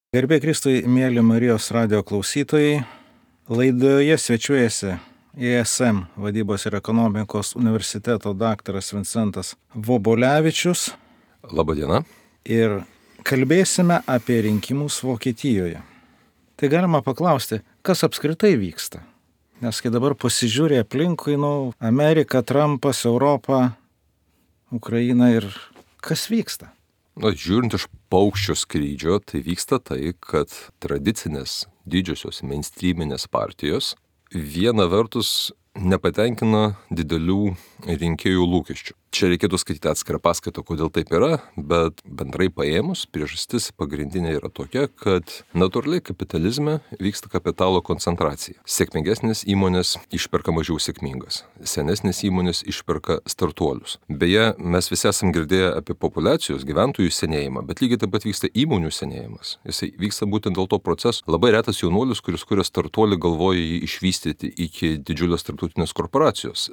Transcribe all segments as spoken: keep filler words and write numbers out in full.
Garbė Kristui, mėly Marijos radio klausytojai, laidoje svečiuojasi I S M vadybos ir ekonomikos universiteto daktaras Vincentas Vobolevičius. Labadiena. Ir kalbėsime apie rinkimus Vokietijoje. Tai galima paklausti, kas apskritai vyksta? Nes kai dabar pasižiūrė aplinkui, nu, Amerika, Trumpas, Europa, Ukraina ir kas vyksta? Na, žiūrint iš paukščio skrydžio, tai vyksta tai, kad tradicinės didžiosios mainstreaminės partijos viena vertus nepatenkina didelių rinkėjų lūkesčių. Čia reikėtų skaityti atskirą paskaitą, kodėl taip yra, bet bendrai paėmus, priežastis pagrindinė yra tokia, kad natūraliai kapitalizme vyksta kapitalo koncentracija. Sėkmingesnės įmonės išperka mažiau sėkmingas, senesnės įmonės išperka startuolius. Beje, mes visi esam girdėję apie populiacijos gyventojų senėjimą, bet lygiai taip pat vyksta įmonių senėjimas. Jisai vyksta būtent dėl to proceso. Labai retas jaunuolis, kuris kuria startuolį, galvoja jį išvystyti iki didžiulės tarptautinės korporacijos.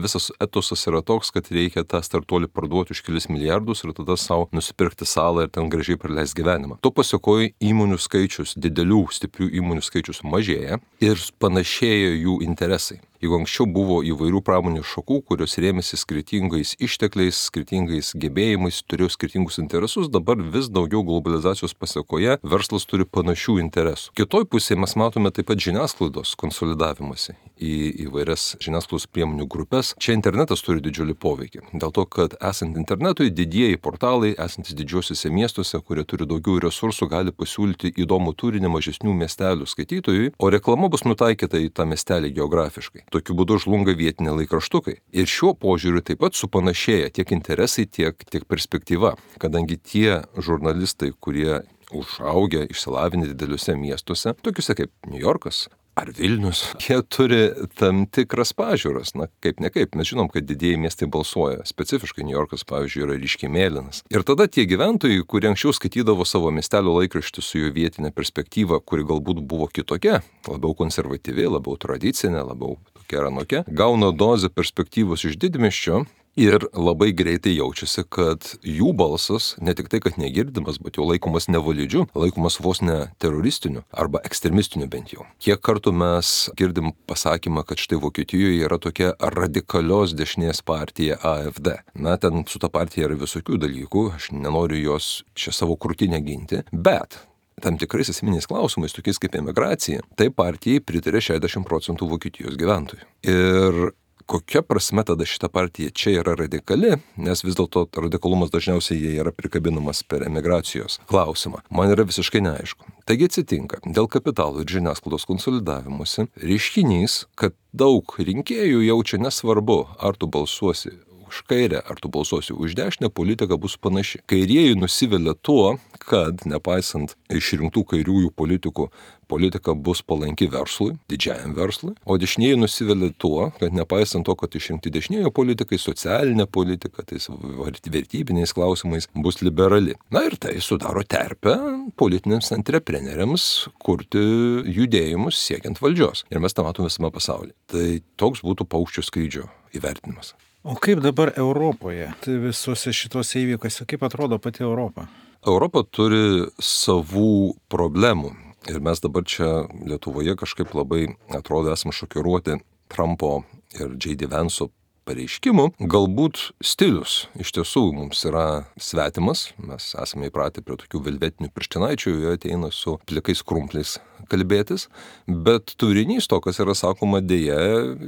Visas etosas yra toks, kad reikia tą startuolį parduoti už kelis milijardus ir tada savo nusipirkti salą ir ten gražiai praleisti gyvenimą. To pasekoje įmonių skaičius, didelių, stiprių įmonių skaičius mažėja ir panašėja jų interesai. Jeigu anksčiau buvo įvairių pramonės šakų, kurios rėmėsi skirtingais ištekliais, skirtingais gebėjimais, turėjo skirtingus interesus, dabar vis daugiau globalizacijos pasekoje verslas turi panašių interesų. Kitoj pusėje mes matome taip pat žiniasklaidos konsolidavimąsi į įvairias žiniasklaidos priemonių grupės. Čia internetas turi didžiulį poveikį. Dėl to, kad esant internetui, didieji portalai, esantis didžiuosiuose miestuose, kurie turi daugiau resursų, gali pasiūlyti įdomų turinį mažesnių miestelių skaitytojui, o reklama bus nutaikyta į tą miestelį geografiškai. Tokiu būdu žlunga vietiniai laikraštukai. Ir šiuo požiūriu taip pat supanašėja tiek interesai, tiek, tiek perspektyva, kadangi tie žurnalistai, kurie užaugę, išsilavinę dideliuose miestuose, tokiuose kaip New Yorkas ar Vilnius, jie turi tam tikras pažiūras. Na, kaip ne kaip, mes žinom, kad didieji miestai balsuoja. Specifiškai New Yorkas, pavyzdžiui, yra ryškiai mėlynas. Ir tada tie gyventojai, kurie anksčiau skaitydavo savo miestelio laikraštį su jų vietinė perspektyva, kuri galbūt buvo kitokia, labiau konservatyvi, labiau tradicinė, labiau tokia ar anokia, gauna dozę perspektyvos iš didmiesčio. Ir labai greitai jaučiasi, kad jų balsas ne tik tai, kad negirdimas, bet jau laikomas nevalidžiu, laikomas vos ne teroristiniu arba ekstremistiniu bent jau. Kiek kartų mes girdim pasakymą, kad štai Vokietijoje yra tokia radikalios dešinės partija A F D. Na, ten su ta partija yra visokių dalykų, aš nenoriu jos čia savo krūtinę ginti, bet tam tikrais esminiais klausimais, tokiais kaip emigracija, tai partijai pritarė šešiasdešimt procentų Vokietijos gyventojų. Ir kokia prasme tada šita partija čia yra radikali, nes vis dėlto radikalumas dažniausiai jie yra prikabinamas per emigracijos klausimą. Man yra visiškai neaišku. Taigi atsitinka, dėl kapitalo ir žiniasklaidos konsolidavimuose reiškinys, kad daug rinkėjų jaučia nesvarbu, ar tu balsuosi už kairę, ar tu balsuosi už dešinę, politika bus panaši. Kairieji nusivilia tuo, kad nepaisant išrinktų kairiųjų politikų, politika bus palanki verslui, didžiajam verslui, o dešinieji nusivilia tuo, kad nepaisant to, kad išrinkti dešinieji politikai, socialinė politika, tais vertybiniais klausimais bus liberali. Na ir tai sudaro terpę politiniams antrepreneriams kurti judėjimus siekiant valdžios. Ir mes tą matome visame pasaulyje. Tai toks būtų paukščio skrydžio įvertinimas. O kaip dabar Europoje, tai visuose šitose įvykiuose, kaip atrodo pati Europa? Europa turi savų problemų. Ir mes dabar čia Lietuvoje kažkaip labai, atrodo, esame šokiruoti Trumpo ir J D Vance'o pareiškimų. Galbūt stilius iš tiesų mums yra svetimas. Mes esame įpratę prie tokių velvetinių pirštinaičių, jie ateina su plikais krumpliais kalbėtis, bet turinys to, kas yra sakoma, dėja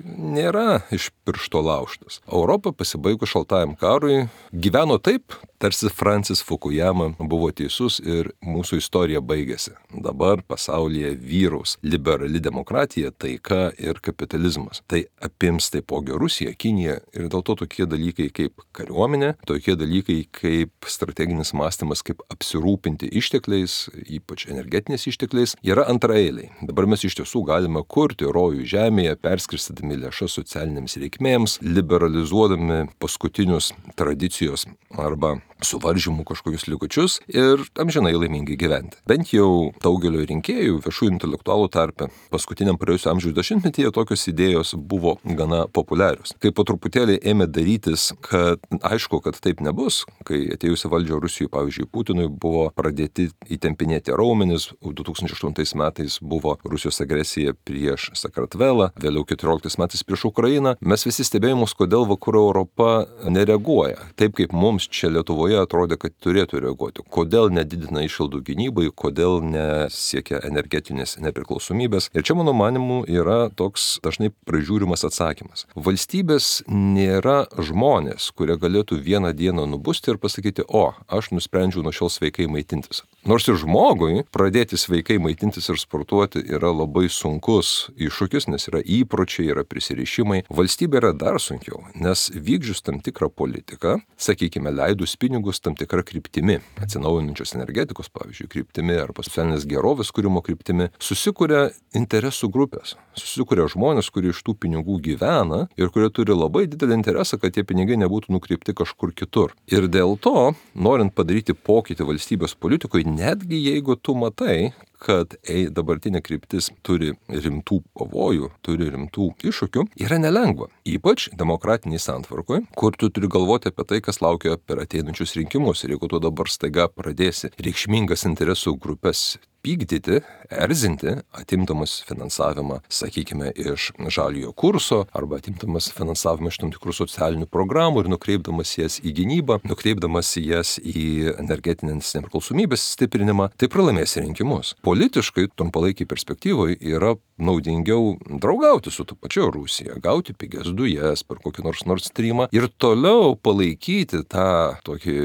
nėra iš piršto laužtas. Europa pasibaigus šaltajam karui gyveno taip, tarsi Francis Fukuyama buvo teisus ir mūsų istorija baigėsi. Dabar pasaulyje vyraus liberali demokratija, taika ir kapitalizmas. Tai apims taipogi Rusija, Kinija ir dėl to tokie dalykai kaip kariuomenė, tokie dalykai kaip strateginis mąstymas, kaip apsirūpinti ištekliais, ypač energetiniais ištekliais, yra antraeiliai. Dabar mes iš tiesų galime kurti rojų žemėje, perskirstydami lėšas socialinėms reikmėms, liberalizuodami paskutinius tradicijos arba suvaržymų kažkokius likučius ir amžinai laimingai gyventi. Bent jau daugelio rinkėjų, viešų intelektualų tarpe, paskutiniam praėjusio amžiaus dešimtmetyje tokios idėjos buvo gana populiarios. Kaip po truputėlį ėmė darytis, kad aišku, kad taip nebus. Kai atėjusi valdžia Rusijoje, pavyzdžiui, Putinui buvo pradėti įtempinėti raumenis, du tūkstančiai aštuntais metais buvo Rusijos agresija prieš Sakartvelą, vėliau keturioliktais metais prieš Ukrainą. Mes visi stebėjimus, kodėl vakarų Europa nereaguoja. Taip kaip mums čia Lietuvoje atrodė, kad turėtų reaguoti. Kodėl nedidina išlaidų gynybai, kodėl nesiekia energetinės nepriklausomybės. Ir čia, mano manimu, yra toks dažnai pražiūrimas atsakymas. Valstybės nėra žmonės, kurie galėtų vieną dieną nubusti ir pasakyti, o, aš nusprendžiau nuo šiol sveikai maitintis. Nors ir žmogui pradėti sveikai maitintis ir sportuoti yra labai sunkus iššūkis, nes yra įpročiai, yra prisirišimai. Valstybė yra dar sunkiau, nes vykdžius tam tikrą politiką, sakykime, leidus pinigus tam tikrą kryptimi, atsinaujinančios energetikos, pavyzdžiui, kryptimi arba socialinės gerovės kūrimo kryptimi, susikuria interesų grupės, susikuria žmonės, kurie iš tų pinigų gyvena ir kurie turi labai didelį interesą, kad tie pinigai nebūtų nukreipti kažkur kitur. Ir dėl to, norint padaryti pokytį valstybės politikoje, netgi jeigu tu matai, kad ei, dabartinė kryptis turi rimtų pavojų, turi rimtų iššūkių, yra nelengva. Ypač demokratiniai santvarkoje, kur tu turi galvoti apie tai, kas laukia per ateinančius rinkimus. Ir jeigu tu dabar staiga pradėsi reikšmingas interesų grupės pykdyti, erzinti, atimdamas finansavimą, sakykime, iš žaliojo kurso arba atimdamas finansavimą iš tam tikrų socialinių programų ir nukreipdamas jas į gynybą, nukreipdamas jas į energetinės nepriklausomybės stiprinimą, tai pralaimės rinkimus. Politiškai, trumpalaikiai perspektyvoje yra naudingiau draugauti su tu pačia Rusija, gauti pigias dujas per kokį nors Nord Streamą ir toliau palaikyti tą tokį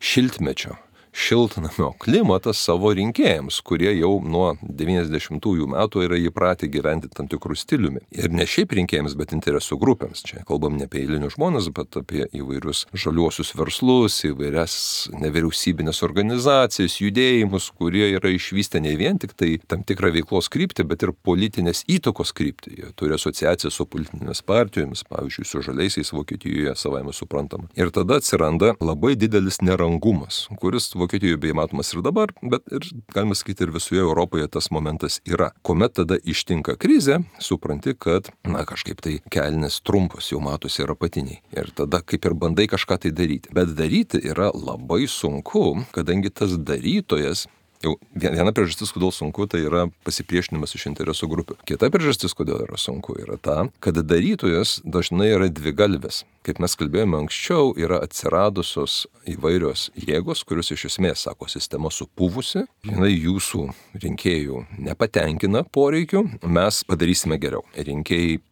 šiltmečio šiltnamio klimatą savo rinkėjams, kurie jau nuo devyniasdešimtųjų metų yra įpratę gyventi tam tikrų stiliumi. Ir ne šiaip rinkėjams, bet interesų grupėms. Čia kalbam ne apie eilinius žmonės, bet apie įvairius žaliuosius verslus, įvairias nevyriausybinės organizacijas, judėjimus, kurie yra išvystę ne vien tik tai tam tikrą veiklos kryptį, bet ir politinės įtakos kryptį. Jie turi asociaciją su politinėmis partijomis, pavyzdžiui, su žaliaisiais Vokietijoje, savaime suprantama. Ir tada atsiranda labai didelis nerangumas, kuris Vokietijoje beje matomas ir dabar, bet ir, galima sakyti, ir visoje Europoje tas momentas yra. Kuomet tada ištinka krizė, supranti, kad, na, kažkaip tai kelnės trumpos jau matosi ir apatiniai. Ir tada kaip ir bandai kažką tai daryti. Bet daryti yra labai sunku, kadangi tas darytojas, jau viena priežastis, kodėl sunku, tai yra pasipriešinimas iš interesų grupių. Kita priežastis, kodėl yra sunku, yra ta, kad darytojas dažnai yra dvigalvis. Kaip mes kalbėjome anksčiau, yra atsiradusios įvairios jėgos, kurios iš esmės, sako, sistema supuvusi, jinai jūsų rinkėjų nepatenkina poreikių, mes padarysime geriau. Rinkėjai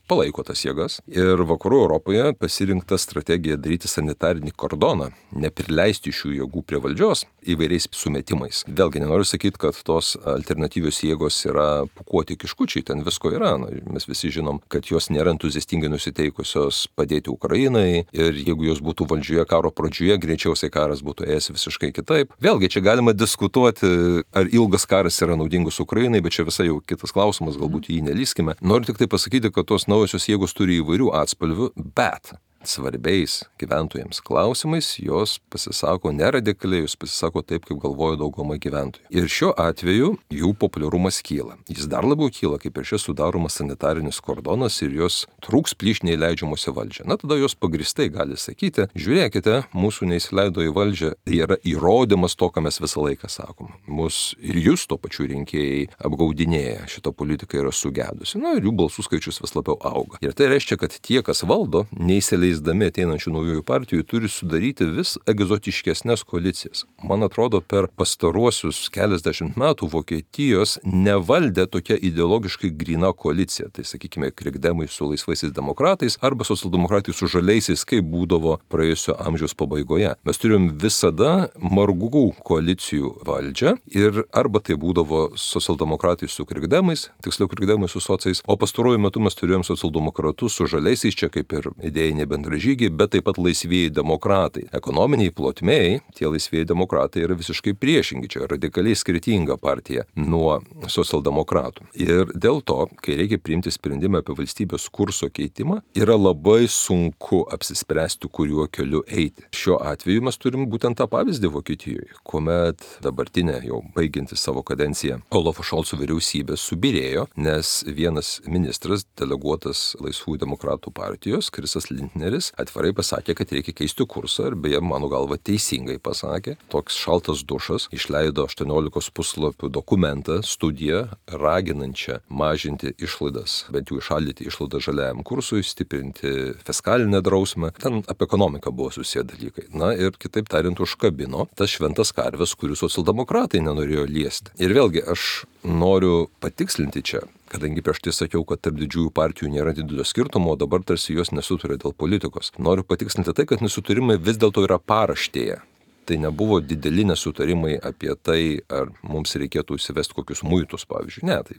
palaiko tas jėgas ir vakarų Europoje pasirinkta strategija daryti sanitarinį kordoną, neprileisti šių jėgų prie valdžios įvairiais sumetimais. Vėlgi nenoriu sakyti, kad tos alternatyvios jėgos yra pūkuoti kiškučiai, ten visko yra. Na, mes visi žinom, kad jos nėra entuziastingai nusiteikusios padėti Ukrainai ir jeigu jos būtų valdžioje karo pradžioje, greičiausiai karas būtų ėjęs visiškai kitaip. Vėlgi čia galima diskutuoti, ar ilgas karas yra naudingus Ukrainai, bet čia visai jau kitas klausimas, galbūt jį nelyskime. Noriu tik tai pasakyti, kad tos naujosios jėgos turi įvairių atspalvių, bet svarbiais gyventojams klausimais jos pasisako neradikaliai, jos pasisako taip, kaip galvoja dauguma gyventojų. Ir šiuo atveju jų populiarumas kyla. Jis dar labiau kyla, kaip ir šis sudaromas sanitarinis kordonas ir jos trūks plyšniai leidžiamuose valdžią. Na, tada jos pagristai gali sakyti, žiūrėkite, mūsų neįsileido į valdžią, tai yra įrodymas to, ką mes visą laiką sakom. Mus ir jūs to pačiu rinkėjai apgaudinėja, šita politika yra sugedusi. Na, ir jų balsų skaičius vis labiau auga. Ir tai reiškia, kad tie, kas valdo, neįsileis dami ateinančių naujųjų partijų turi sudaryti vis egzotiškesnės koalicijas. Man atrodo, per pastaruosius keliasdešimt metų Vokietijos nevaldė tokia ideologiškai gryna koalicija. Tai, sakykime, krikdemai su laisvaisiais demokratais arba socialdemokratai su žaliaisiais, kaip būdavo praėjusio amžiaus pabaigoje. Mes turim visada margų koalicijų valdžią ir arba tai būdavo socialdemokratai su krikdemais, tiksliau krikdemai su sociais, o pastaruoju metu mes turėjom socialdemokratus su žaliaisiais, čia kaip ir idėjinė bendražygiai, bet taip pat laisvieji demokratai. Ekonominiai plotmėj tie laisvieji demokratai yra visiškai priešingi, čia radikaliai skirtinga partija nuo socialdemokratų. Ir dėl to, kai reikia priimti sprendimą apie valstybės kurso keitimą, yra labai sunku apsispręsti, kuriuo keliu eiti. Šiuo atveju mes turim būtent tą pavyzdį Vokietijoje, kuomet dabartinė jau baigianti savo kadenciją Olafo Šolco vyriausybė subirėjo, nes vienas ministras, deleguotas Laisvųjų demokratų partijos, Krisas Lindneris, atvirai pasakė, kad reikia keisti kursą ir beje, mano galva, teisingai pasakė. Toks šaltas dušas išleido aštuoniolikos puslapių dokumentą, studiją, raginančią mažinti išlaidas, bent jau išaldyti išlaidas žaliajam kursui, stiprinti fiskalinę drausmę. Ten apie ekonomiką buvo susiję dalykai. Na ir kitaip tariant, užkabino tas šventas karves, kurių socialdemokratai nenorėjo liesti. Ir vėlgi, aš noriu patikslinti čia, kadangi prieš tai sakiau, kad tarp didžiųjų partijų nėra didelio skirtumo, o dabar tarsi jos nesutarė dėl politikos. Noriu patikslinti tai, kad nesutarimai vis dėlto yra paraštėje. Tai nebuvo dideli nesutarimai apie tai, ar mums reikėtų įsivesti kokius muitus, pavyzdžiui. Ne, tai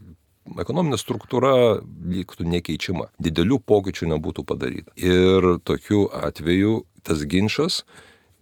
ekonominė struktūra liktų nekeičiama. Didelių pokyčių nebūtų padaryta. Ir tokiu atveju tas ginčas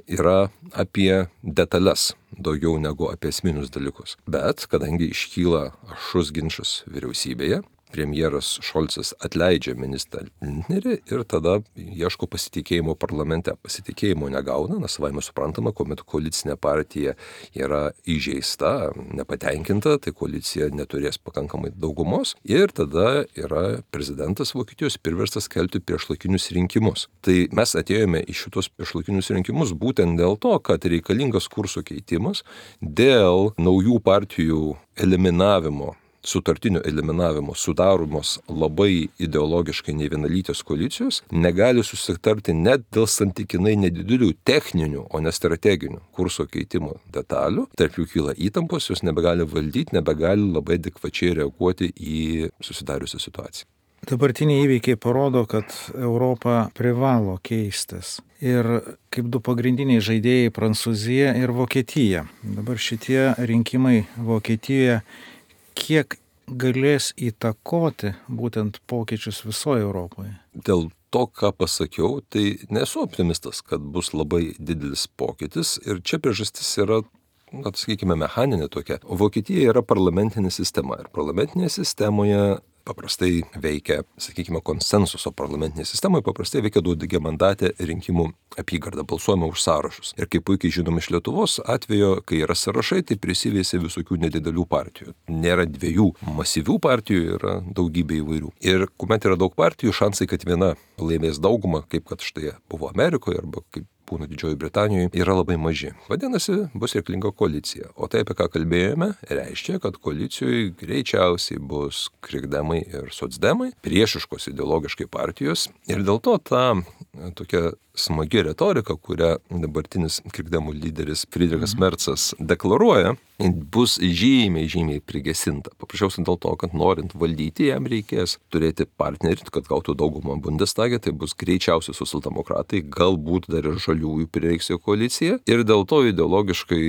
yra apie detalės daugiau negu apie esminius dalykus. Bet kadangi iškyla aštrus ginčas vyriausybėje, premjeras Šolcas atleidžia ministrą Lindnerį ir tada ieško pasitikėjimo parlamente. Pasitikėjimo negauna, nes savaime suprantama, kuomet koalicinė partija yra įžeista, nepatenkinta, tai koalicija neturės pakankamai daugumos ir tada yra prezidentas Vokietijos priverstas skelbti priešlaikinius rinkimus. Tai mes atėjome į šitos priešlaikinius rinkimus būtent dėl to, kad reikalingas kurso keitimas dėl naujų partijų eliminavimo, sutartinio eliminavimo, sudaromos labai ideologiškai nevienalytės koalicijos, negali susitarti net dėl santykinai nedidelių techninių, o ne strateginių kurso keitimo detalių. Tarp jų kyla įtampos, jos nebegali valdyti, nebegali labai adekvačiai reaguoti į susidariusią situaciją. Dabartiniai įvykiai parodo, kad Europa privalo keistis. Ir kaip du pagrindiniai žaidėjai Prancūzija ir Vokietija. Dabar šitie rinkimai Vokietijoje kiek galės įtakoti būtent pokyčius visoje Europoje? Dėl to, ką pasakiau, tai nesu optimistas, kad bus labai didelis pokytis ir čia priežastis yra, na, sakykime, mechaninė tokia. Vokietija yra parlamentinė sistema ir parlamentinėje sistemoje paprastai veikia, sakykime, konsensuso parlamentinėje sistemoje, paprastai veikia daugiamandatė rinkimų apygarda, balsuojama už sąrašus. Ir kaip puikiai žinom iš Lietuvos atvejo, kai yra sąrašai, tai prisivėsia visokių nedidelių partijų. Nėra dviejų masyvių partijų, yra daugybė įvairių. Ir kuomet yra daug partijų, šansai, kad viena laimės daugumą, kaip kad štai buvo Amerikoje arba kaip būna Didžioji Britanijoje, yra labai maži. Vadinasi, bus reikalinga koalicija. O tai, apie ką kalbėjome, reiškia, kad koalicijoje greičiausiai bus krikdemai ir socdemai, priešiškos ideologiškai partijos. Ir dėl to ta tokia smagi retorika, kurią dabartinis krikdemų lyderis Friedrichas Merzas deklaruoja, bus žymiai, žymiai prigesinta. Paprasčiausiai dėl to, kad norint valdyti, jam reikės turėti partnerį, kad gautų daugumą Bundestage, tai bus greičiausiai socialdemokratai, galbūt dar ir žaliųjų prireiks jo koalicija. Ir dėl to ideologiškai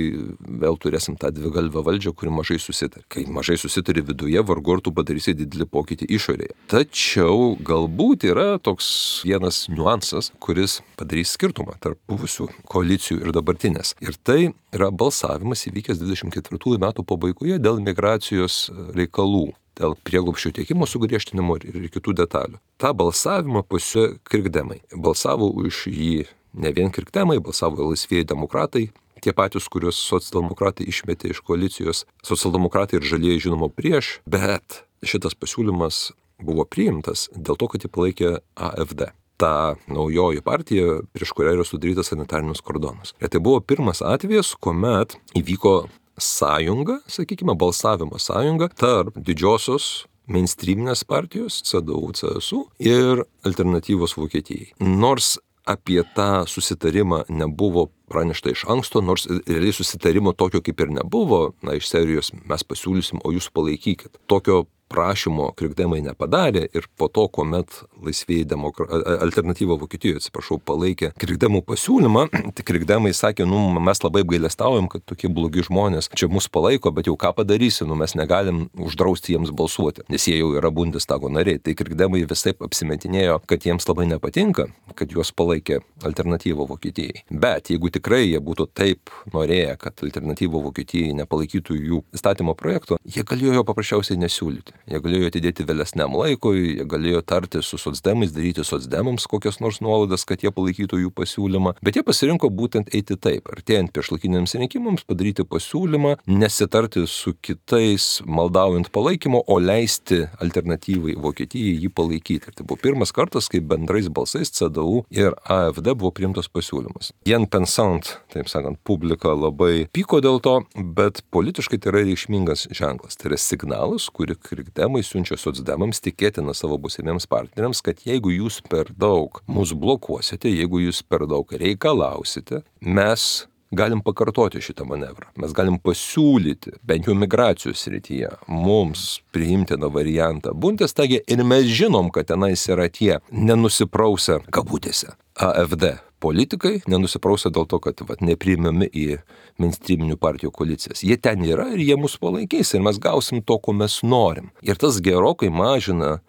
vėl turėsim tą dvigalvę valdžią, kuri mažai susitarė. Kai mažai susitari viduje, vargu ar tu padarysi didelį pokytį išorėje. Tačiau galbūt yra toks vienas niuansas, kuris padarys skirtumą tarp buvusių koalicijų ir dabartinės. Ir tai yra balsavimas įvykęs dvidešimt ketvirtųjų metų pabaigoje dėl migracijos reikalų, dėl prieglobsčio tiekimo sugriežtinimo ir kitų detalių. Ta balsavimą pasiūlė krikdemai. Balsavo už jį ne vien krikdemai, balsavo laisvieji demokratai, tie patys, kuriuos socialdemokratai išmetė iš koalicijos. Socialdemokratai ir žalieji žinoma prieš, bet šitas pasiūlymas buvo priimtas dėl to, kad jį palaikė A F D. Ta naujoji partija, prieš kurią yra sudarytas sanitarinius kordonus. Ir tai buvo pirmas atvejis, kuomet įvyko sąjunga, sakykime, balsavimo sąjunga tarp didžiosios mainstreaminės partijos C D U C S U ir alternatyvos Vokietijai. Nors apie tą susitarimą nebuvo pranešta iš anksto, nors realiai susitarimo tokio kaip ir nebuvo, na, iš serijos mes pasiūlysim, o jūs palaikykit. Tokio prašymo krikdemai nepadarė ir po to, kuomet laisvieji demokra... alternatyva Vokietijoje, atsiprašau, palaikė krikdemų pasiūlymą, tai krikdemai sakė, nu, mes labai apgailestaujam, kad tokie blogi žmonės čia mus palaiko, bet jau ką padarysi, nu, mes negalim uždrausti jiems balsuoti, nes jie jau yra Bundestago nariai. Tai krikdemai visaip apsimetinėjo, kad jiems labai nepatinka, kad juos palaikė alternatyva Vokietijai. Bet jeigu tikrai jie būtų taip norėję, kad alternatyva Vokietijai nepalaikytų jų įstatymo projekto, jie galėjo jo paprasčiausiai nesiūlyti. Jie galėjo atidėti vėlesniam laikui, jie galėjo tarti su socdemais, daryti socdemams kokias nors nuolaidas, kad jie palaikytų jų pasiūlymą, bet jie pasirinko būtent eiti taip, artėjant priešlaikiniams rinkimams, padaryti pasiūlymą, nesitarti su kitais, maldaujant palaikymo, o leisti alternatyvai Vokietijai jį palaikyti. Ir tai buvo pirmas kartas, kai bendrais balsais C D U ir A F D buvo priimtas pasiūlymas. Jen pensant, taip sakant, publika labai pyko dėl to, bet politiškai tai yra reikšmingas ženklas. Tai yra signalas, kurį krikdemai siunčia socdemams, tikėtina savo būsimiems partneriams, kad jeigu jūs per daug mus blokuosite, jeigu jūs per daug reikalausite, mes galim pakartoti šitą manevrą. Mes galim pasiūlyti, bent jau migracijos srityje, mums priimtiną variantą Bundestage ir mes žinom, kad tenais yra tie nenusiprausę kabutėse A F D politikai, nenusiprausę dėl to, kad vat, nepriimami į mainstreaminių partijų koalicijas. Jie ten yra ir jie mus palaikys ir mes gausim to, ko mes norim. Ir tas gerokai mažina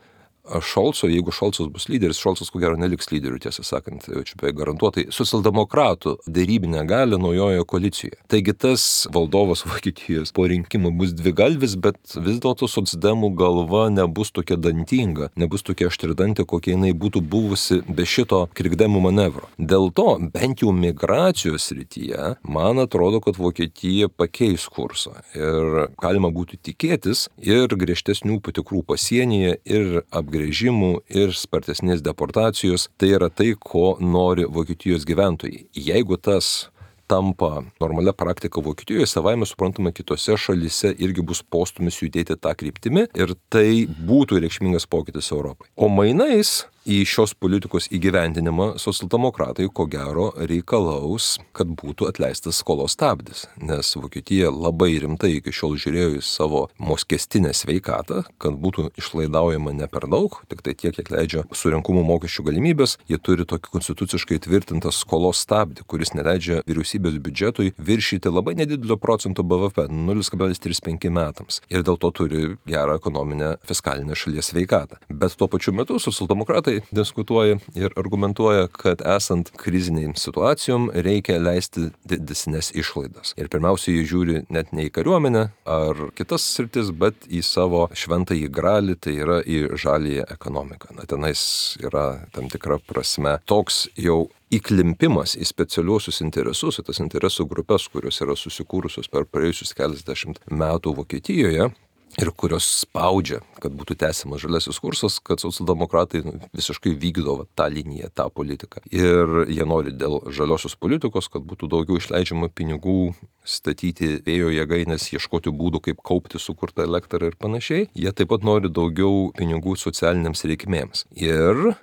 Šolco, jeigu Šolcas bus lyderis, Šolcas ko gero neliks lyderiu, tiesą sakant, čia beveik garantuotai, socialdemokratų dėrybinę galią naujojo koalicijoje. Taigi tas valdovas Vokietijos po rinkimų bus dvigalvis, bet vis dėlto socdemų galva nebus tokia dantinga, nebus tokia aštridantė, kokia jinai būtų buvusi be šito krikdemų manevro. Dėl to, bent jau migracijos srityje, man atrodo, kad Vokietija pakeis kursą ir galima būtų tikėtis ir griežtesnių patikrų pasienyje ir apgrėžimų grėžimų ir spartesnės deportacijos, tai yra tai, ko nori Vokietijos gyventojai. Jeigu tas tampa normalia praktika Vokietijoje, savaime suprantama, kitose šalyse irgi bus postūmis judėti tą kryptimį ir tai būtų reikšmingas pokytis Europai. O mainais į šios politikos įgyvendinimą socialdemokratai ko gero reikalaus, kad būtų atleistas skolos stabdis, nes Vokietija labai rimtai iki šiol žiūrėjo į savo mokestinę sveikatą, kad būtų išlaidaujama ne per daug, tik tai tiek, kiek leidžia surinkumų mokesčių galimybės. Jie turi tokį konstituciškai tvirtintą skolos stabdį, kuris neleidžia vyriausybės biudžetui viršyti labai nedidelio procento B V P, nulis kablelis trisdešimt penki metams. Ir dėl to turi gerą ekonominę fiskalinę šalies sveikatą. Bet tuo pačiu metu socialdemokratai diskutuoja ir argumentuoja, kad esant kriziniai situacijom reikia leisti didesnės išlaidas. Ir pirmiausia, jie žiūri net ne į kariuomenę ar kitas sritis, bet į savo šventąjį gralį, tai yra į žaliąją ekonomiką. Na, tenais yra tam tikra prasme toks jau įklimpimas į specialiuosius interesus, į tas interesų grupės, kurios yra susikūrusios per praėjusius keliasdešimt metų Vokietijoje, ir kurios spaudžia, kad būtų tęsiamas žaliasis kursas, kad socialdemokratai nu, visiškai vykdo va, tą liniją, tą politiką. Ir jie nori dėl žaliosios politikos, kad būtų daugiau išleidžiama pinigų statyti vėjo jėgaines, ieškoti būdų, kaip kaupti sukurtą elektrą ir panašiai. Jie taip pat nori daugiau pinigų socialiniams reikmėms. Ir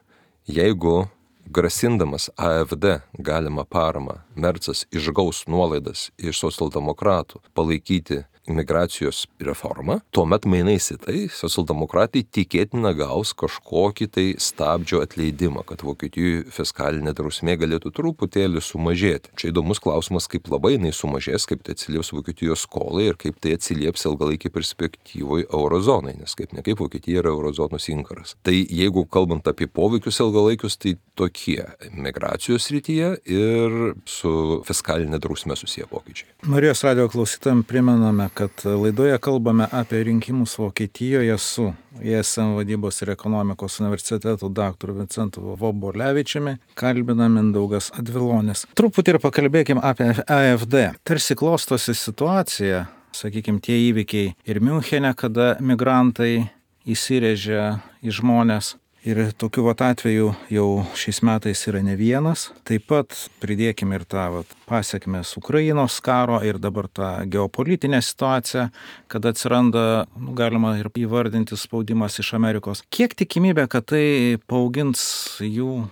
jeigu grasindamas A F D galimą paramą Mercas išgaus nuolaidas iš socialdemokratų palaikyti imigracijos reformą, tuomet mainais į tai socialdemokratai tikėtina gaus kažkokį tai stabdžio atleidimą, kad Vokietijoje fiskalinė drausmė galėtų truputėlį sumažėti. Čia įdomus klausimas, kaip labai jinai sumažės, kaip tai atsilieps Vokietijos skolai ir kaip tai atsilieps ilgalaikį perspektyvoje eurozonai, nes kaip ne kaip Vokietija yra eurozonos inkaras. Tai jeigu kalbant apie poveikius ilgalaikius, tai tokie migracijos srityje ir su fiskalinė drausmė susiję pokyčiai. Marijos radio klausytojams primename, kad laidoje kalbame apie rinkimus Vokietijoje su I S M vadybos ir ekonomikos universiteto daktaru Vincentu Vobolevičiumi, kalbina Mindaugas Advilonis. Truputį ir pakalbėkim apie A F D. Tarsi klostosi situacija, sakykime, tie įvykiai ir Miunchene, kada migrantai įsirėžia į žmonės. Ir tokių vat atvejų jau šiais metais yra ne vienas. Taip pat pridėkime ir tą vat pasiekmes Ukrainos karo ir dabar tą geopolitinę situaciją, kad atsiranda, nu, galima ir įvardinti spaudimas iš Amerikos. Kiek tikimybė, kad tai paaugins jų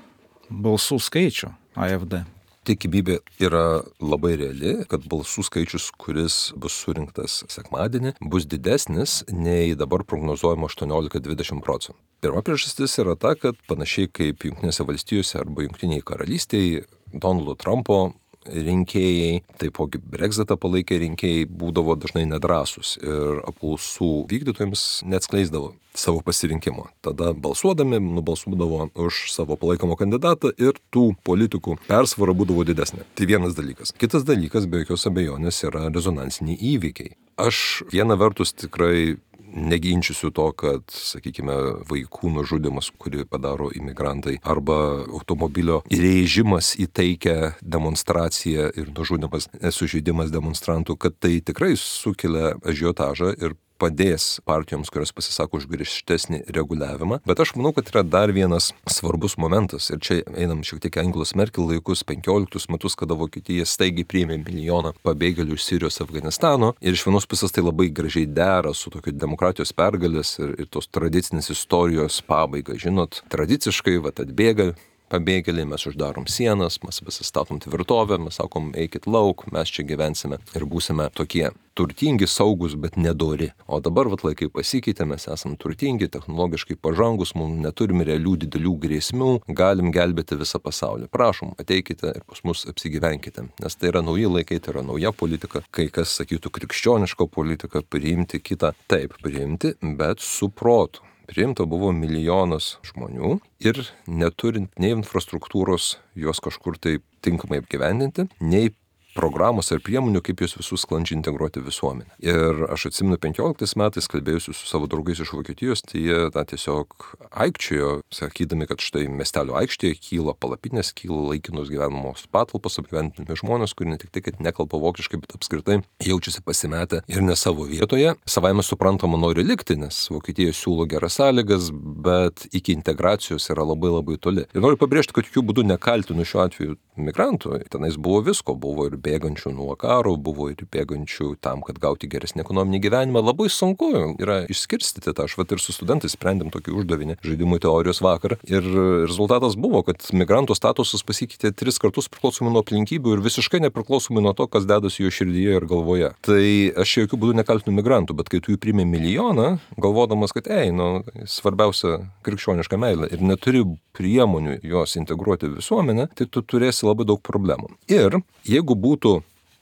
balsų skaičių A F D? tikimybė yra labai reali, kad balsų skaičius, kuris bus surinktas sekmadienį, bus didesnis nei dabar prognozuojama aštuoniolika dvidešimt procentų. Pirma priežastis yra ta, kad panašiai kaip Jungtinėse valstijose arba Jungtinėje karalystėje Donaldo Trumpo rinkėjai, taipogi Brexitą palaikę rinkėjai būdavo dažnai nedrąsūs ir apklausų vykdytojams neatskleisdavo savo pasirinkimo. Tada balsuodami nubalsuodavo už savo palaikomą kandidatą ir tų politikų persvara būdavo didesnė. Tai vienas dalykas. Kitas dalykas, be jokios abejonės, yra rezonansiniai įvykiai. Aš viena vertus tikrai neginčysiu to, kad, sakykime, vaikų nužudymas, kurį padaro imigrantai, arba automobilio įrėžimas į taikią demonstraciją ir nužudymas, sužeidimas demonstrantų, kad tai tikrai sukelia ažiotažą ir padės partijoms, kurios pasisako už griežtesnį reguliavimą. Bet aš manau, kad yra dar vienas svarbus momentas. Ir čia einam šiek tiek Angelos Merkel laikus, penkioliktus metus, kada Vokietija staigiai priėmė milijoną pabėgėlių iš Sirijos, Afganistano. Ir iš vienos pusės tai labai gražiai dera su tokio demokratijos pergalės ir, ir tos tradicinės istorijos pabaiga. Žinot, tradiciškai, vat atbėga pabėgėliai, mes uždarom sienas, mes pasistatom tvirtovę, mes sakom, eikit lauk, mes čia gyvensime ir būsime tokie turtingi, saugus, bet nedori. O dabar vat laikai pasikeitė, mes esam turtingi, technologiškai pažangus, mums neturime realių didelių grėsmių, galim gelbėti visą pasaulį. Prašom, ateikite ir pas mus apsigyvenkite, nes tai yra nauji laikai, tai yra nauja politika, kai kas sakytų krikščioniška politika, priimti kitą, taip, priimti, bet su protu. Priimta buvo milijonas žmonių ir neturint nei infrastruktūros juos kažkur tai tinkamai apgyvendinti, nei programos ar priemonių, kaip juos visus sklandžiai integruoti visuomenę. Ir aš atsimenu penkioliktais metais kalbėjusiu su savo draugais iš Vokietijos, tai jie na, tiesiog aikčiojo, sakydami, kad štai miestelio aikštėje kyla palapinės, kyla laikinos gyvenamos patalpos, apgyvendinami žmonės, kurie ne tik tai, kad nekalba vokiškai, bet apskritai jaučiasi pasimetę ir ne savo vietoje. Savaime suprantama nori likti, nes Vokietija siūlo geras sąlygas, bet iki integracijos yra labai labai toli. Ir noriu pabrėžti, kad jokių būdų nekaltinu šiuo atveju migrantų. Tenais buvo visko, buvo ir bėgančių nuo karo, buvo ir bėgančių tam, kad gauti geresnį ekonominį gyvenimą. Labai sunku yra išskirstyti tą. Aš vat ir su studentais sprendėm tokį uždavinį žaidimų teorijos vakar. Ir rezultatas buvo, kad migrantų statusas pasikeitė tris kartus priklausomai nuo aplinkybių ir visiškai nepriklausomai nuo to, kas dedasi jų širdyje ir galvoje. Tai aš jokių būdų nekaltinu migrantų, bet kai tu jų priimi milijoną, galvodamas, kad ei, nu, svarbiausia krikščioniška meilė ir neturi priemonių jos integruoti visuomenę, tai tu turėsi labai daug problemų. Ir jeigu būtų,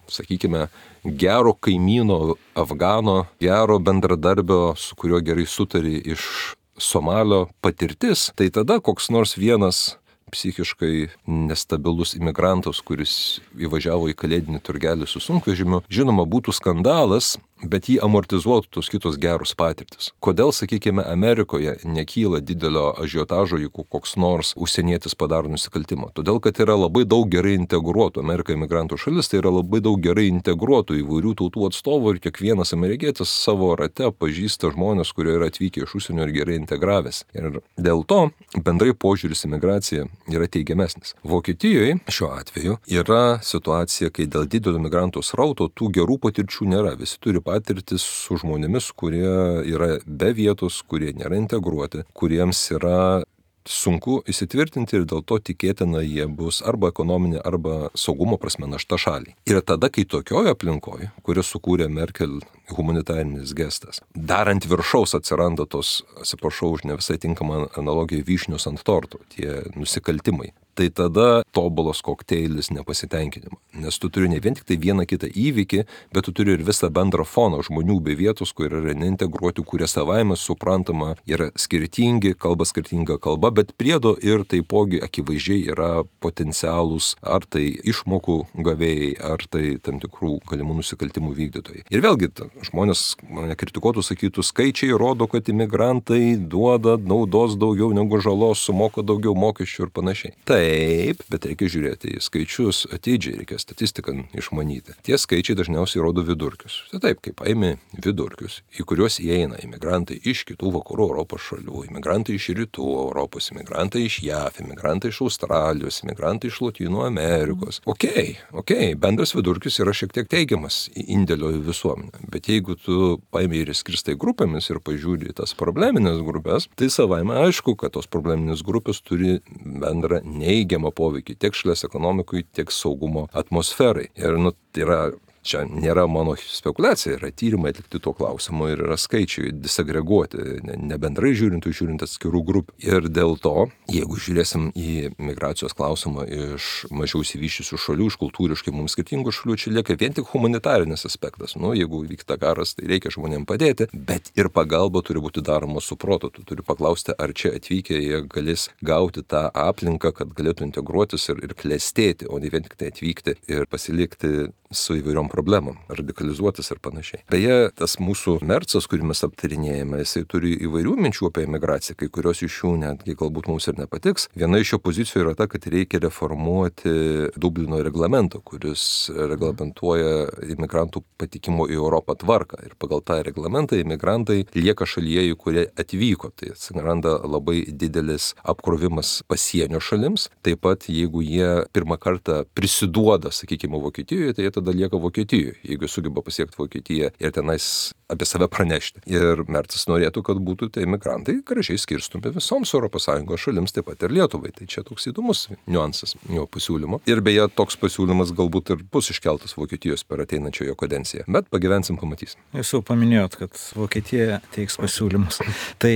sakykime, gero kaimyno Afgano, gero bendradarbio, su kuriuo gerai sutari iš Somalio patirtis, tai tada koks nors vienas psichiškai nestabilus imigrantas, kuris įvažiavo į kalėdinį turgelį su sunkvežimiu, žinoma, būtų skandalas, bet jį amortizuotų tos kitos geros patirtis. Kodėl, sakykime, Amerikoje nekyla didelio ažiotažo, jeigu koks nors užsienietis padaro nusikaltimą? Todėl, kad yra labai daug gerai integruotų, Amerika imigrantų šalis, tai yra labai daug gerai integruotų įvairių tautų atstovų ir kiekvienas amerikietis savo rate pažįsta žmonės, kurie yra atvykę iš užsienio ir gerai integravęs. Ir dėl to bendrai požiūris į migraciją yra teigiamesnis. Vokietijoje šiuo atveju yra situacija, kai dėl didelio migrantų srauto tų gerų patirčių nėra. Visi turi patirtis su žmonėmis, kurie yra be vietos, kurie nėra integruoti, kuriems yra sunku įsitvirtinti ir dėl to tikėtina jie bus arba ekonominė, arba saugumo prasme našta šaliai. Ir tada, kai tokioje aplinkoje, kuris sukūrė Merkel humanitarinis gestas, dar ant viršaus atsiranda tos, atsiprašau už ne visai tinkamą analogiją, vyšnius ant torto, tie nusikaltimai, tai tada tobulas kokteilis nepasitenkinimo. Nes tu turi ne vien tik tai vieną kitą įvykį, bet tu turi ir visą bendrą foną žmonių be vietos, kurie yra neintegruoti, kurie savaime suprantama yra skirtingi, kalba skirtinga kalba, bet priedo ir taipogi akivaizdžiai yra potencialūs ar tai išmokų gavėjai, ar tai tam tikrų galimų nusikaltimų vykdytojai. Ir vėlgi, ta, žmonės mane kritikuotų, sakytų, skaičiai rodo, kad imigrantai duoda naudos daugiau negu žalos, sumoka daugiau mokesčių ir panašiai. Taip, bet reikia žiūrėti į skaičius atidžiai, reikia statistiką išmanyti. Tie skaičiai dažniausiai rodo vidurkius. Tai taip, kaip paimi vidurkius, į kuriuos įeina imigrantai iš kitų vakarų Europos šalių, imigrantai iš rytų Europos, imigrantai iš J A V, imigrantai iš Australijos, imigrantai iš Lotynų Amerikos. Okei, okei, bendras vidurkis yra šiek tiek teigiamas indėlio į visuomenę. Bet jeigu tu paimi ir skirstai grupėmis ir pažiūri tas probleminės grupės, tai savaime aišku, kad tos probleminės grupės turi bendrą neigiamą poveikį tiek šalies ekonomikui, tiek saugumo atmosferai. Ir nu, tai yra Čia nėra mano spekulacija, yra tyrimai atlikti tuo klausimu ir yra skaičiai disagreguoti, ne, ne bendrai žiūrint, žiūrint atskirų grupių. Ir dėl to, jeigu žiūrėsim į migracijos klausimą iš mažiau įsivyščiusių šalių, iš kultūriškai mums skirtingų šalių, čia lieka vien tik humanitarinis aspektas. Nu, jeigu vyksta karas, tai reikia žmonėms padėti, bet ir pagalba turi būti daroma su protu. Tu turi paklausti, ar čia atvykę jie galės gauti tą aplinką, kad galėtų integruotis ir, ir klestėti, o ne vien tik tai atvykti ir pasilikti su įvairiom problemom, radikalizuotis ir panašiai. Beje, tas mūsų mercas, kurį mes aptarinėjame, jisai turi įvairių minčių apie imigraciją, kai kurios iš jų netgi galbūt mums ir nepatiks. Viena iš jo pozicijų yra ta, kad reikia reformuoti Dublino reglamentą, kuris reglamentuoja imigrantų patikimo į Europą tvarką. Ir pagal tą reglamentą imigrantai lieka šalyje, į kurie atvyko. Tai atsiranda labai didelis apkrovimas pasienio šalims. Taip pat, jeigu jie pirmą kartą prisiduoda, sakykime, Vokietijoje, tai jie tada lieka Vokietijoje, jeigu sugeba pasiekti Vokietiją ir tenais apie save pranešti. Ir Mercas norėtų, kad būtų tai imigrantai gražiai skirstomi visoms Europos Sąjungos šalims, taip pat ir Lietuvai. Tai čia toks įdomus niuansas jo pasiūlymo. Ir beje, toks pasiūlymas galbūt ir bus iškeltas Vokietijos per ateinančią jo kadenciją. Bet pagyvensim, pamatysim. Jūs jau paminėjot, kad Vokietija teiks pasiūlymus. Tai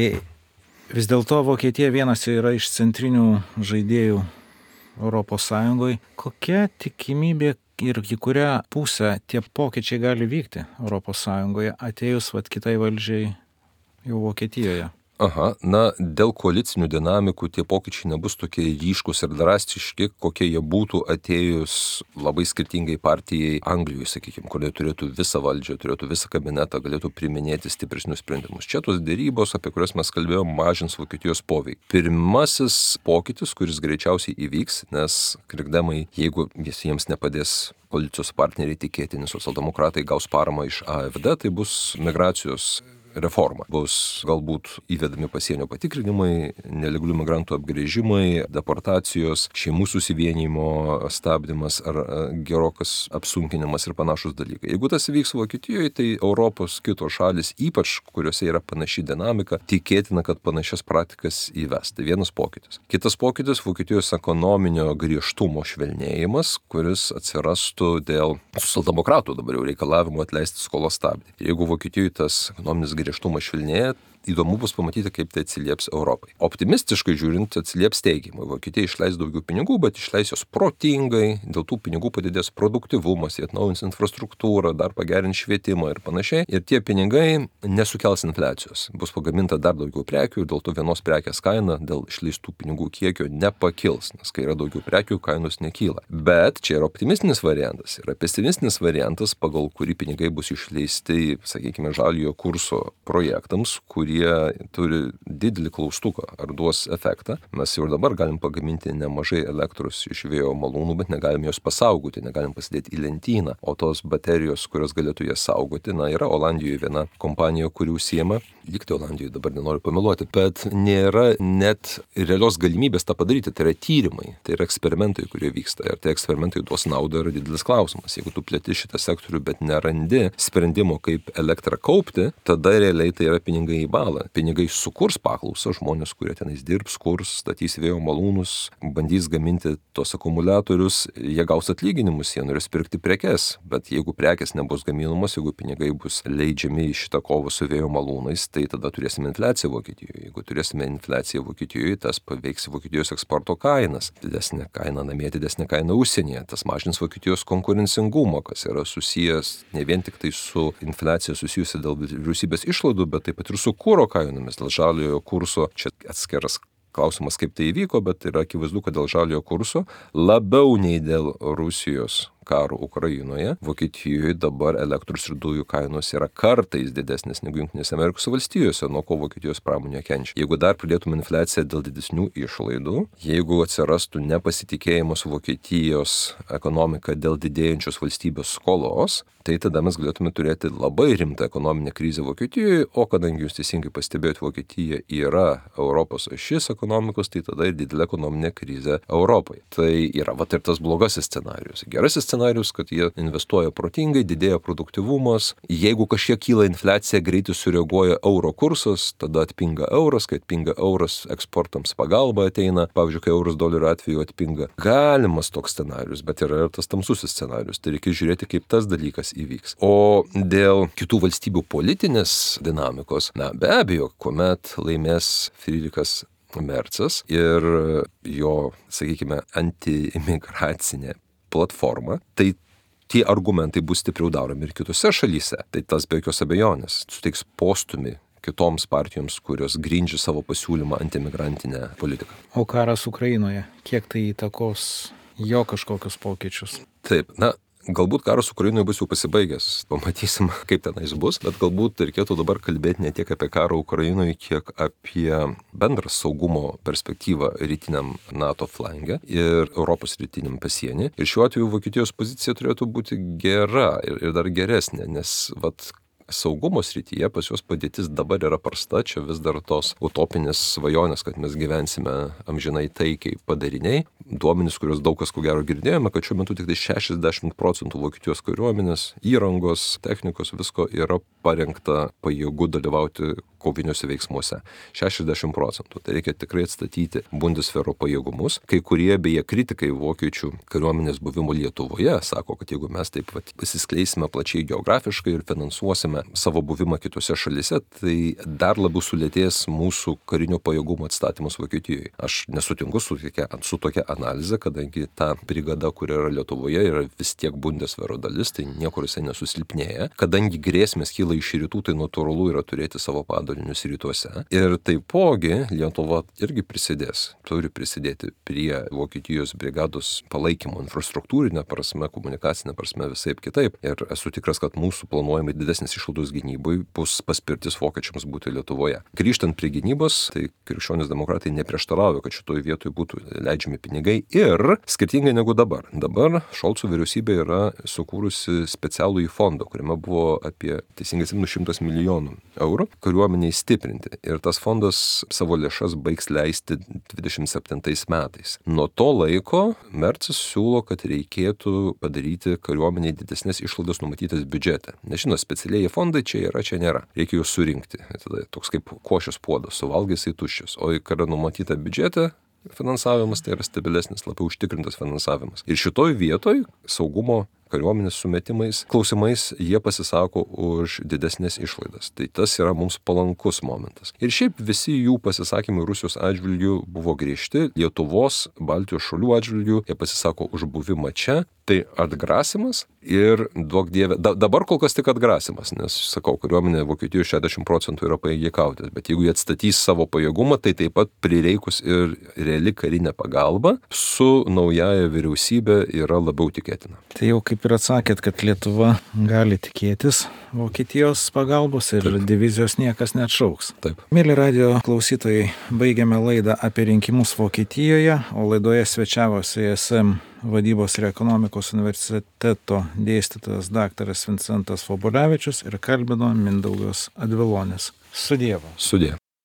vis dėlto Vokietija vienas yra iš centrinių žaidėjų Europos Sąjungoje. Kokia tikimybė ir į kurią pusę tie pokyčiai gali vykti Europos Sąjungoje atėjus vat kitai valdžiai jau Vokietijoje? Aha, na, dėl koalicinių dinamikų tie pokyčiai nebus tokie ryškus ir drastiški, kokie jie būtų atėjus labai skirtingai partijai Anglijoje, sakykime, kur jie turėtų visą valdžią, turėtų visą kabinetą, galėtų priiminėti stipresnius sprendimus. Čia tos dėrybos, apie kurias mes kalbėjome, mažins Vokietijos poveikį. Pirmasis pokytis, kuris greičiausiai įvyks, nes krikdemai, jeigu jiems nepadės koalicijos partneriai tikėtini, socialdemokratai gaus paramą iš A F D, tai bus migracijos reforma. Bus galbūt įvedami pasienio patikrinimai, nelegalių migrantų apgręžimai, deportacijos, šeimų susivienijimo stabdymas ar gerokas apsunkinimas ir panašus dalykai. Jeigu tas vyks Vokietijoje, tai Europos kitos šalis, ypač kuriuose yra panaši dinamika, tikėtina, kad panašias praktikas įves. Tai vienas pokytis. Kitas pokytis - Vokietijos ekonominio griežtumo švelnėjimas, kuris atsirastų dėl socialdemokratų dabar jau reikalavimo atleisti skolos stabdį. Jeigu Vokietijoje tas ekonominis griežtumas švelnėja, įdomu bus pamatyti, kaip tai atsilieps Europai. Optimistiškai žiūrint, atsilieps teigiamai. Vokietija išleis daugiau pinigų, bet išleis jos protingai, dėl tų pinigų padidės produktyvumas, jie atnaujins infrastruktūrą, dar pagerins švietimą ir panašiai. Ir tie pinigai nesukels infliacijos. Bus pagaminta dar daugiau prekių ir dėl to vienos prekės kaina dėl išleistų pinigų kiekio nepakils, nes kai yra daugiau prekių, kainos nekyla. Bet čia yra optimistinis variantas. Yra pesimistinis variantas, pagal kurį pinigai bus išleisti, sakykime, žaliojo kurso projektams, kurie turi didelį klaustuką, ar duos efektą. Mes jau ir dabar galim pagaminti nemažai elektros iš vėjo malūnų, bet negalim jos pasaugoti, negalim pasidėti į lentyną. O tos baterijos, kurios galėtų jas saugoti, na, yra Olandijoje viena kompanija, kuri užsiema, likti Olandijoje, dabar nenoriu pameluoti, bet nėra net realios galimybės tą padaryti. Tai yra tyrimai, tai yra eksperimentai, kurie vyksta. Ir tie eksperimentai duos naudą, yra didelis klausimas. Jeigu tu plėti šitą sektorių, bet nerandi sprendimo, kaip elektrą kaupti, tada realiai tai yra pinigai į balą. Pinigai sukurs paklausą, žmonės, kurie tenais dirbs, kurs, statys vėjo malūnus, bandys gaminti tos akumuliatorius, jie gaus atlyginimus, jie norės pirkti prekes, bet jeigu prekes nebus gaminamos, jeigu pinigai bus leidžiami į šitą kovą su vėjo malūnais, tai tada turėsime infliaciją Vokietijoje. Jeigu turėsime infliaciją Vokietijoje, tas paveiks Vokietijos eksporto kainas. Didesnė kaina namie, didesnė kaina užsienyje. Tas mažins Vokietijos konkurencingumą, kas yra susijęs ne vien tik tai su infliacija susijusi dėl vyriausybės išlaidų, bet taip pat ir su kuro kainomis, dėl žaliojo kurso. Čia atskiras klausimas, kaip tai įvyko, bet yra akivaizdu, kad dėl žaliojo kurso labiau nei dėl Rusijos karo Ukrainoje, Vokietijoje dabar elektros ir dujų kainos yra kartais didesnės negu Jungtinėse Amerikos valstijose, nuo ko Vokietijos pramonė kenčia. Jeigu dar pridėtume infliaciją dėl didesnių išlaidų, jeigu atsirastų nepasitikėjimas Vokietijos ekonomika dėl didėjančios valstybės skolos, tai tada mes galėtume turėti labai rimtą ekonominę krizę Vokietijoje, o kadangi jūs teisingai pastebėjote, Vokietija yra Europos ašis ekonomikos, tai tada ir didelė ekonominė krizė Europai. Tai yra vat ir tas blogasis scenarijus. Gerasis scenarius, kad jie investuoja protingai, didėja produktyvumas. Jeigu kažkiek kyla infliacija, greitai sureaguoja euro kursas, tada atpinga euras, kai atpinga euras, eksportams pagalba ateina, pavyzdžiui, kai euras dolerio atveju atpinga. Galimas toks scenarius, bet yra ir tas tamsusis scenarius. Tai reikia žiūrėti, kaip tas dalykas įvyks. O dėl kitų valstybių politinės dinamikos, na be abejo, kuomet laimės Friedrichas Merzas ir jo, sakykime, antiimigracinė platforma, tai tie argumentai bus stipriau daromi ir kitose šalyse. Tai tas be jokios abejonės suteiks postumį kitoms partijoms, kurios grindžia savo pasiūlymą antiimigrantinę politiką. O karas Ukrainoje, kiek tai įtakos jo kažkokius pokyčius? Taip, na, galbūt karas Ukrainoje bus jau pasibaigęs, pamatysim, kaip tenais bus, bet galbūt reikėtų dabar kalbėti ne tiek apie karą Ukrainoje, kiek apie bendrą saugumo perspektyvą rytiniam NATO flange ir Europos rytiniam pasienį. Ir šiuo atveju Vokietijos pozicija turėtų būti gera ir, ir dar geresnė, nes vat saugumo srityje pas juos padėtis dabar yra prasta, čia vis dar tos utopinės svajonės, kad mes gyvensime amžinai taikiai padariniai. Duomenys, kuriuos daug kas ko gero girdėjome, kad šiuo metu tik tai šešiasdešimt procentų Vokietijos kariuomenės, įrangos, technikos, visko yra parengta pajėgų dalyvauti koviniuose veiksmuose. šešiasdešimt procentų. Tai reikia tikrai atstatyti Bundeswehro pajėgumus. Kai kurie beje kritikai vokiečių kariuomenės buvimo Lietuvoje sako, kad jeigu mes taip vat pasiskleisime plačiai geografiškai ir finansuosime savo buvimą kitose šalyse, tai dar labiau sulėtės mūsų karinio pajėgumo atstatymas Vokietijoje. Aš nesutinku su tokia, su tokia analize, kadangi ta brigada, kuri yra Lietuvoje, yra vis tiek Bundeswehro dalis, tai niekur jisai nesusilpnėja. Kadangi grėsmės kyla iš rytų, tai natūralu yra turėti savo padalinius rytuose. Ir taipogi Lietuva irgi prisidės, turi prisidėti prie Vokietijos brigados palaikymo infrastruktūrinė prasme, komunikacinė prasme, visaip kitaip. Ir esu tikras, kad mūsų planuojami didesnis išlaidos gynybai bus paspirtis vokiečiams būti Lietuvoje. Grįžtant prie gynybos, tai krikščionys demokratai neprieštarauja, kad šitoje vietoje būtų leidžiami pinigai ir skirtingai negu dabar. Dabar Šolco vyriausybė yra sukūrusi specialųjį fondą, kuriame buvo apie teisingai šimtas milijonų eurų kariuomeniai stiprinti. Ir tas fondas savo lėšas baigs leisti dvidešimt septintais metais. Nuo to laiko Merzas siūlo, kad reikėtų padaryti kariuomeniai didesnės išlaidas numatytas biudžete. Nežinau, specialiai fondai čia yra, čia nėra. Reikia juos surinkti. Tada toks kaip košės puodas, suvalgys į tuščius. O kai yra numatyta biudžete, finansavimas tai yra stabilesnis, labiau užtikrintas finansavimas. Ir šitoj vietoj saugumo kariuomenės sumetimais, klausimais jie pasisako už didesnės išlaidas. Tai tas yra mums palankus momentas. Ir šiaip visi jų pasisakymai Rusijos atžvilgių buvo griežti, Lietuvos, Baltijos šalių atžvilgių, jie pasisako už buvimą čia. Tai atgrasimas ir duok dieve, da, dabar kol kas tik atgrasimas, nes, sakau, kariuomenė Vokietijoje šešiasdešimt procentų yra pajėgiai kautis, bet jeigu jie atstatys savo pajėgumą, tai taip pat prireikus ir reali karinė pagalba su naujaja vyriausybė yra labiau tikėtina. Tai jau kaip ir atsakėt, kad Lietuva gali tikėtis Vokietijos pagalbos ir Taip. Divizijos niekas neatšauks. Taip. Mėly radijo klausytojai, baigiame laidą apie rinkimus Vokietijoje, o laidoje svečiavosi E S M vadybos ir ekonomikos universiteto dėstytojas daktaras Vincentas Vobolevičius ir kalbino Mindaugas Advilonis. Su Dievu. Sudie.